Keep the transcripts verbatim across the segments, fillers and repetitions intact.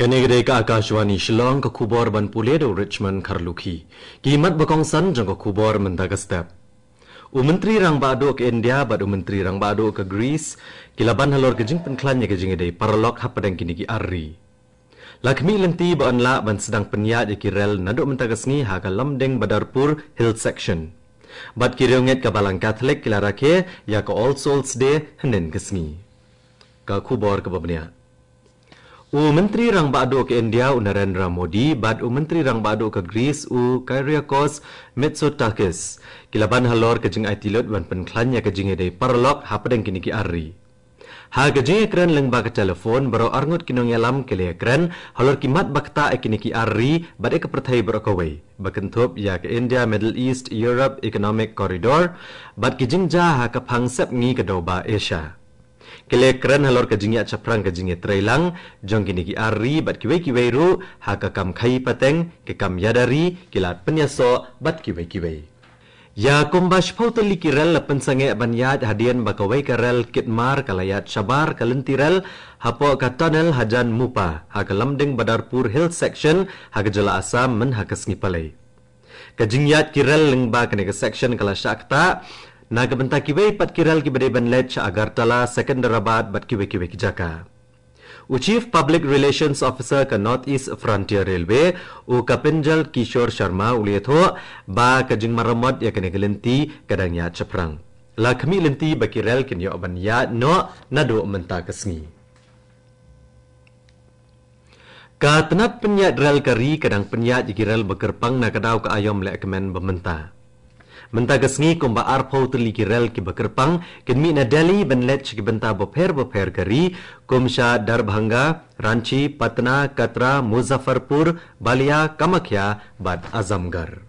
Kane ka dei ka Akashvani Shillong, ka khubor ban pule da u Richmond Kharlukhi. Ki mat ba kongsan jong ka khubor mynta ka step. U Myntri Rangbah Duh ka India bad u Myntri Rangbah Duh ka Greece ki la ban halor ka jingpynkhlaiñ ïa ka jingïadei paralok hapdeng kine ki ar ri. La khmih lynti ba yn lah ban sdang pynïaid ïa ki rel naduh mynta ka sngi ha ka Lumding Badarpur Hill Section. Bad ki riewngeit ka Balang Catholic ki la rakhe ïa ka All Souls Day hynnin ka sngi. Ka khubor kaba bniah. U Myntri Rangbah Duh ka India u Narendra Modi bad u Myntri Rangbah Duh ka Greece u Kyriakos Mitsotakis ki la ban halor ka jingaiti lut ban pynkhlaiñ ïa ka jingïadei paralok hapdeng kine ki ar ri. Ha ka jingïakren lyngba ka telephone, baroh arngut ki nongïalam ki la ïakren halor ki mat ba ktah ïa kine ki ar ri bad ïa ka pyrthei baroh kawei, ba kynthup ïa ka India Middle East Europe Economic Corridor bad ki jingjia ha ka phang sepngi ka dewbah Asia. Ki la ïakren halor ka jingïaid shaphrang ka jingïatreilang jong kine ki ar ri bad kiwei kiwei ruh ha ka kam khaïi pateng, ka kam ïada ri, ki lad pynïasoh bad kiwei kiwei. Ïa kumba shiphew tylli ki rel la pynsangeh ban ïaid hadien ba kawei ka rel kit mar ka la ïaid shabar ka lynti rel hapoh ka tunnel hajan Mupa ha ka Lumding Badarpur Hill Section ha ka jylla Assam mynha ka sngi Palei. Ka jingïaid ki rel lyngba kane ka section ka la shah ktah na ka bynta kiwei pat ki rel kiba dei ban leit sha Agartala, Secunderabad bad kiwei kiwei ki jaka. U Chief Public Relations Officer ka North East Frontier Railway, u Kapinjal Kishore Sharma u la ïathuh ba ka jingmaramot ïa kane ka lynti ka dang ïaid shaphrang. La khmih lynti ba ki rel kin ïoh ban ïaid noh naduh mynta ka sngi. Ka tnat pynïaid rel ka ri ka dang pynïaid ïa ki rel ba kyrpang na ka daw ka aïom lehkmen ba mynta. Mynta ka sngi kumba arphew tylli ki rel kiba kyrpang kin mih na Delhi ban leit sha ki bynta bapher bapher ka ri, kum sha Darbhanga, Ranchi, Patna, Katra, Muzaffarpur, Balia, Kamakhya bad Azamgarh.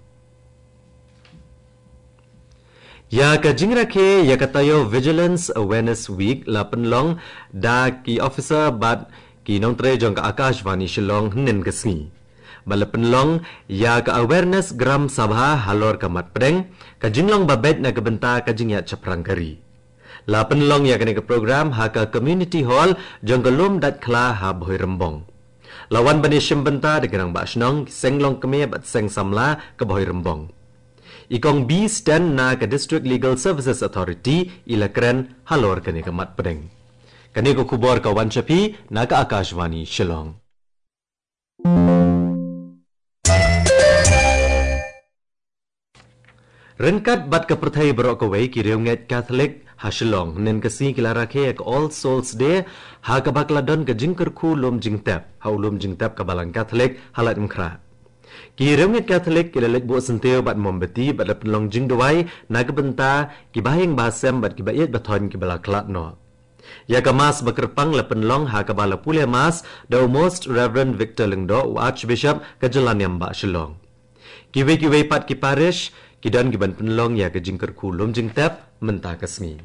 Ïa ka jingrakhe ïa ka taïew Vigilance Awareness Week la pynlong da ki officer bad ki nongtrei jong ka Akashvani Shillong hynnin ka sngi. Ba la pynlong ïa ka Awareness Gram Sabha halor ka mat pdeng, ka jinglong ba beit na ka bynta ka jingïaid shaphrang ka ri. La pynlong ïa kane ka program ha ka Community Hall jong ka Lum Dait Khla ha Bhoirymbong. La wan ban ïashim bynta da ki rangbah shnong, ki seng longkmie bad seng samla ka Bhoirymbong. I Kong B Sten na ka District Legal Services Authority i la kren halor kane ka mat pdeng. Kane ka khubor ka wan sha phi na ka Akashvani Shillong. Ryngkat bad ka pyrthei baroh kawei, ki riewngeit Catholic ha Shillong hynnin ka sngi ki la rakhe ïa ka All Souls Day ha kaba ka la don ka jingkyrkhu lum jingtep ha u lum jingtep ka Balang Catholic ha Laitumkhrah. Ki riewngeit Catholic ki la leit buh syntiew bad mombati bad la pynlong jingduwai na ka bynta ki bahaïing bahasem bad ki baieid bathoiñ ki ba la khlad noh. Ïa ka Mass ba kyrpang la pynlong ha kaba la pule Mass da u Most Reverend Victor Lyngdoh, u Archbishop ka jylla niam bah Shillong. Kiwei kiwei pat ki parish ki don ki ban pynlong ïa ka jingkyrkhu lum jingtep mynta ka sngi.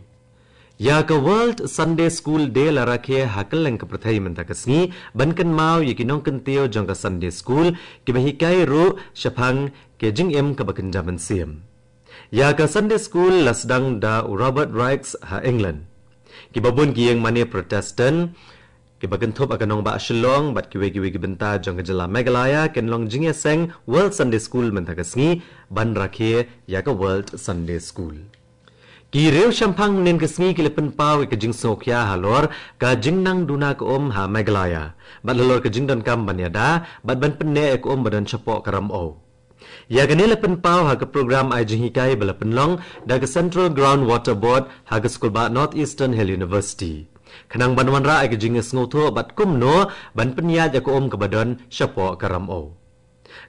Ïa ka World Sunday School Day la rakhe ha kylleng ka pyrthei mynta ka sngi ban kynmaw ïa ki nongkyntiew jong ka Sunday School kiba hikai ruh shaphang ka jingim kaba kynja mynsiem. Ïa ka Sunday School la sdang da u Robert Raikes ha England. Kiba bun ki ïing mane Protestant kiba kynthup ha ka nongbah Shillong bad kiwei kiwei ki bynta jong ka jylla Meghalaya kin long jingïaseng World Sunday School mynta ka sngi ban rakhe ïa ka World Sunday School. Ki riew shemphang hynnin ka sngi ki la pynpaw ïa ka jingsngewkhia halor ka jingnang duna ka um ha Meghalaya bad halor ka jingdonkam ban ïada bad ban pynneh ïa ka um ba don shapoh ka ramew. Ïa kane la pynpaw ha ka program ai jinghikai ba la pynlong da ka Central Ground Water Board ha ka skulbah North Eastern Hill University, khnang ban wanrah ïa ka jingïasngewthuh bad kumno ban pynïaid ïa ka um kaba don shapoh ka ramew.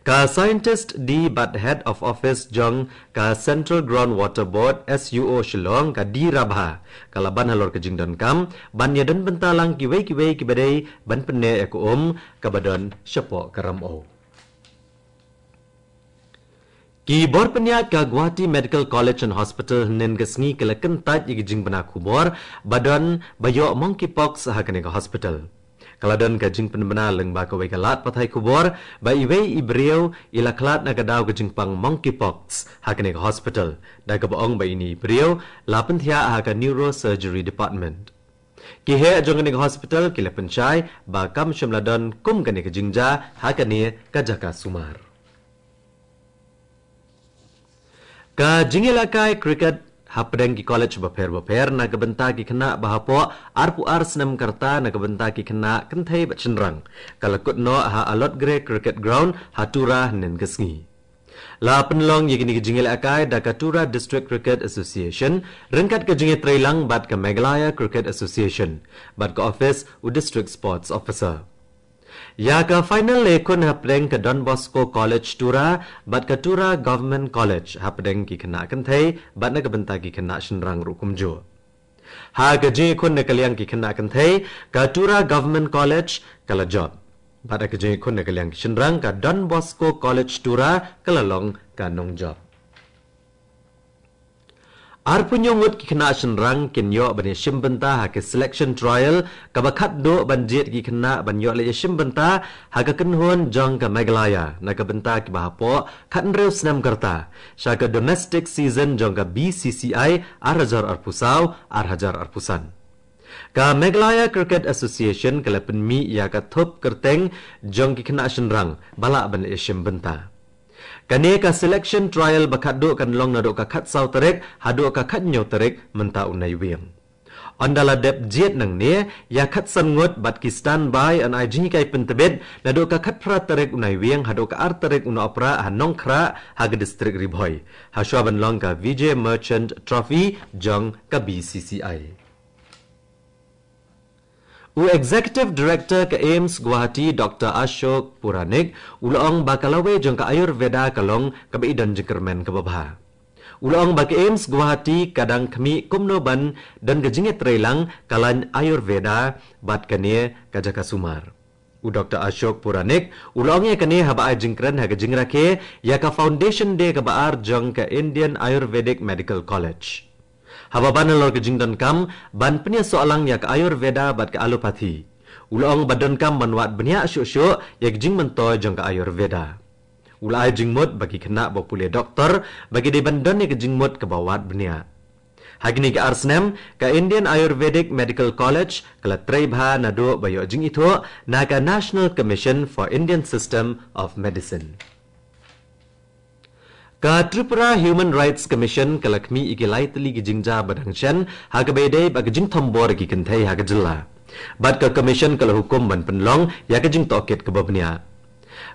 Ka scientist D bad Head of Office jong ka Central Ground Water Board, S U O, Shillong, ka D Rabha, ka la ban halor ka jingdonkam ban ïadon bynta lang kiwei kiwei kiba dei ban pynneh ïa ka um kaba don shapoh ka ramew. Ki bor pynïaid ka Guwahati Medical College and Hospital hynnin ka sngi ki la kyntait ïa ki jingbna khubor ba don ba ïoh monkeypox ha kane ka hospital. Ka la don ka jingpynbna lyngba kawei ka lad pathai khubor ba iwei i briew i la khlad na ka daw ka jingpang monkeypox ha kane ka hospital, da kaba ong ba ine i briew la pynthiah ha ka Neurosurgery Department. Ki heh jong kane ka hospital ki la pynshai ba kam shym la don kum kane ka jingjia ha kane ka jaka sumar. Ka jingïalehkai cricket hapdeng ki college bapher bapher na ka bynta ki khynnah ba hapoh arphew ar snem ka rta na ka bynta ki khynnah kynthei bad shynrang ka la kut noh ha Alotgre Cricket Ground ha Tura hynnin ka sngi. La pynlong ïa kine ki jingïalehkai da ka Tura District Cricket Association ryngkat ka jingïatreilang bad ka Meghalaya Cricket Association bad ka office u District Sports Officer. Ïa ka final la ïakhun hapdeng ka Don Bosco College Tura bad ka Tura Government College hapdeng ki khynnah kynthei bad na ka bynta ki khynnah shynrang ruh kumjuh. Ha ka jingïakhun na ka liang ki khynnah kynthei, ka Tura Government College ka la jop. Bad ha ka jingïakhun na ka liang ki shynrang, ka Don Bosco College Tura ka la long ka nongjop. Arphew hynñiew ngut ki khynnah shynrang kin ïoh ban ïashim bynta ha ka selection trial kaba khadduh ban jied ki khynnah ban ïoh leit ïashim bynta ha ka kynhun jong ka Meghalaya na ka bynta kiba hapoh khathynriew snem ka rta sha ka domestic season jong ka B C C I ar hajar arphew saw ar hajar arphew san. Ka Meghalaya Cricket Association ka la pynmih ïa ka thup kyrteng jong ki khynnah shynrang ba lah ban leit ïashim bynta. Kane ka selection trial ba khadduh kan long naduh ka khatsaw tarik haduh ka khathynñiew tarik mynta u Naiwieng. Ynda la dep jied nangne, ïa khatsan ngut bad ki standby yn ai jinghikai pyntbit naduh ka khatphra tarik u Naiwieng haduh ka ar tarik u Nohprah ha Nongkhrah ha ka district Ri Bhoi. Hashwa ban long ka Vijay Merchant Trophy jong ka B C C I. U Executive Director ka AIIMS Guwahati Doctor Ashok Puranik u la ong ba ka lawei jong ka Ayurveda ka long kaba i don jingkyrmen kaba bha. U la ong ba ka AIIMS Guwahati ka dang khmih kumno ban don ka jingïatreilang ka lain Ayurveda bad kane ka jaka sumar. U Doctor Ashok Puranik u la ong ïa kane haba ai jingkren ha ka jingrakhe ïa ka Foundation Day kaba ar jong ka Indian Ayurvedic Medical College. Haba ban halor ka jingdonkam ban pynïasoh lang ïa ka Ayurveda bad ka Allopathy, u la ong ba donkam ban wad bniah shuh shuh ïa ka jingmyntoi jong ka Ayurveda. U la ai jingmut ba ki khynnah ba pule doktor ba ki dei ban don ïa ka jingmut kaba wad bniah. Ha kine ki ar snem, ka Indian Ayurvedic Medical College ka la trei bha naduh ba ïoh jingithuh na ka National Commission for Indian System of Medicine. Ka Tripura Human Rights Commission ka la khmih ïa ki lai tylli ki jingjia ba dang shen ha kaba ïadei bad ka jingthombor ïa ki kynthei ha ka jylla. Bad ka Commission ka la hukum ban pynlong ïa ka jingtohkit kaba bniah.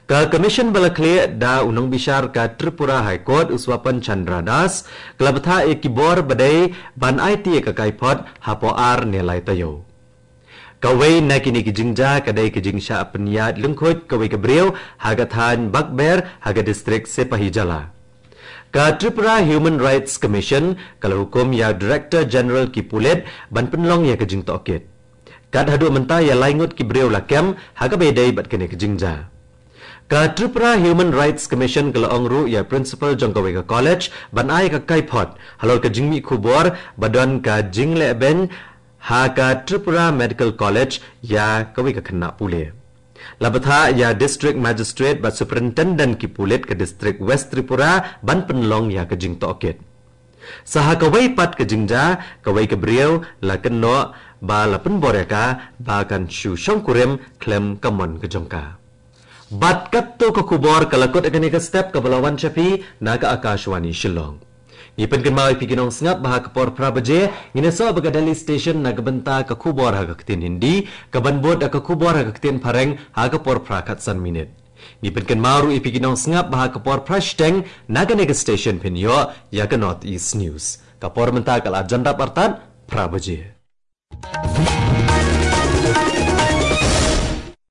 Ka Commission ba la khlieh da u nongbishar ka Tripura High Court u Swapan Chandra Das ka la bthah ïa ki bor ba dei ban aiti ïa ka kaiphod hapoh ar ne lai taïew. Kawei na kine ki jingjia ka dei ka jingshah pynïaid lyngkhuid kawei ka briew ha ka thaiñ Bakber ha ka district Sepahijala. Ka Tripura Human Rights Commission ka la hukum ïa u Director General ki pulit ban pynlong ïa ka jingtohkit. Kat haduh mynta ïa lai ngut ki briew la kem ha kaba ïadei bad kane ka jingjia. Ka Tripura Human Rights Commission ka la ong ruh ïa u principal jong kawei ka college ban ai ka kaiphod halor ka jingmih khubor ba don ka jinglehbeiñ ha ka Tripura Medical College ïa kawei ka khynnah pule. La bthah ïa District Magistrate bad Superintendent ki pulit ka District West Tripura ban pynlong ïa ka jingtohkit. Sa ha kawei pat ka jingjia, kawei ka briew la kynnoh ba la pynbor ïa ka ba kan shu shongkurim khlem ka mon ka jong ka. Bad katto ka khubor ka la kut ha kane ka step kaba la wan sha phi na ka Akashvani Shillong. Ngi pynkynmaw ïa phi ki nongsngap ba ha ka por phra baje ngin ïasoh bad ka Delhi Station na ka bynta ka khubor ha ka ktien Hindi, kaban bud da ka khubor ha ka ktien Phareng ha ka por phra khatsan minit. Ngi pynkynmaw ruh ïa phi ki nongsngap ba ha ka por phra shiteng na kane ka station phin ïoh ïa ka North East News. Ka por mynta ka la jan dap artat phra baje.